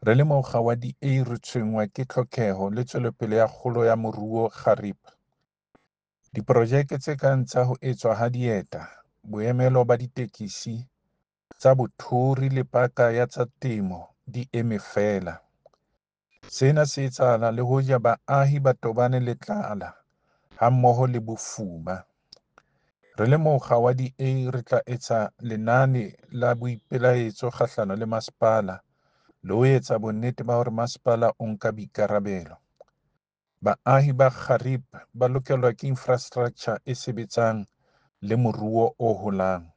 Re le mokga wa DA re tshwenngwa ke tlhokeho le tswelopele ya kgolo ya moruo Gariep. Diprojeke tse kang tsa ho etswa ha dieta, boemelo ba ditekisi, tsa bothori le paka ya tsa temo di eme feela. Sena se etsahala le hoja baahi ba tobane le tlala hammoho le bofuma. Re le mokga wa DA re tla etsa lenane la boipelaetso kgahlano le masepala le ho etsa bonnete ba hore masepala o nka boikarabelo. Baahi ba Gariep ba lokelwa ke infrastraktjha e sebetsang le moruo o holang.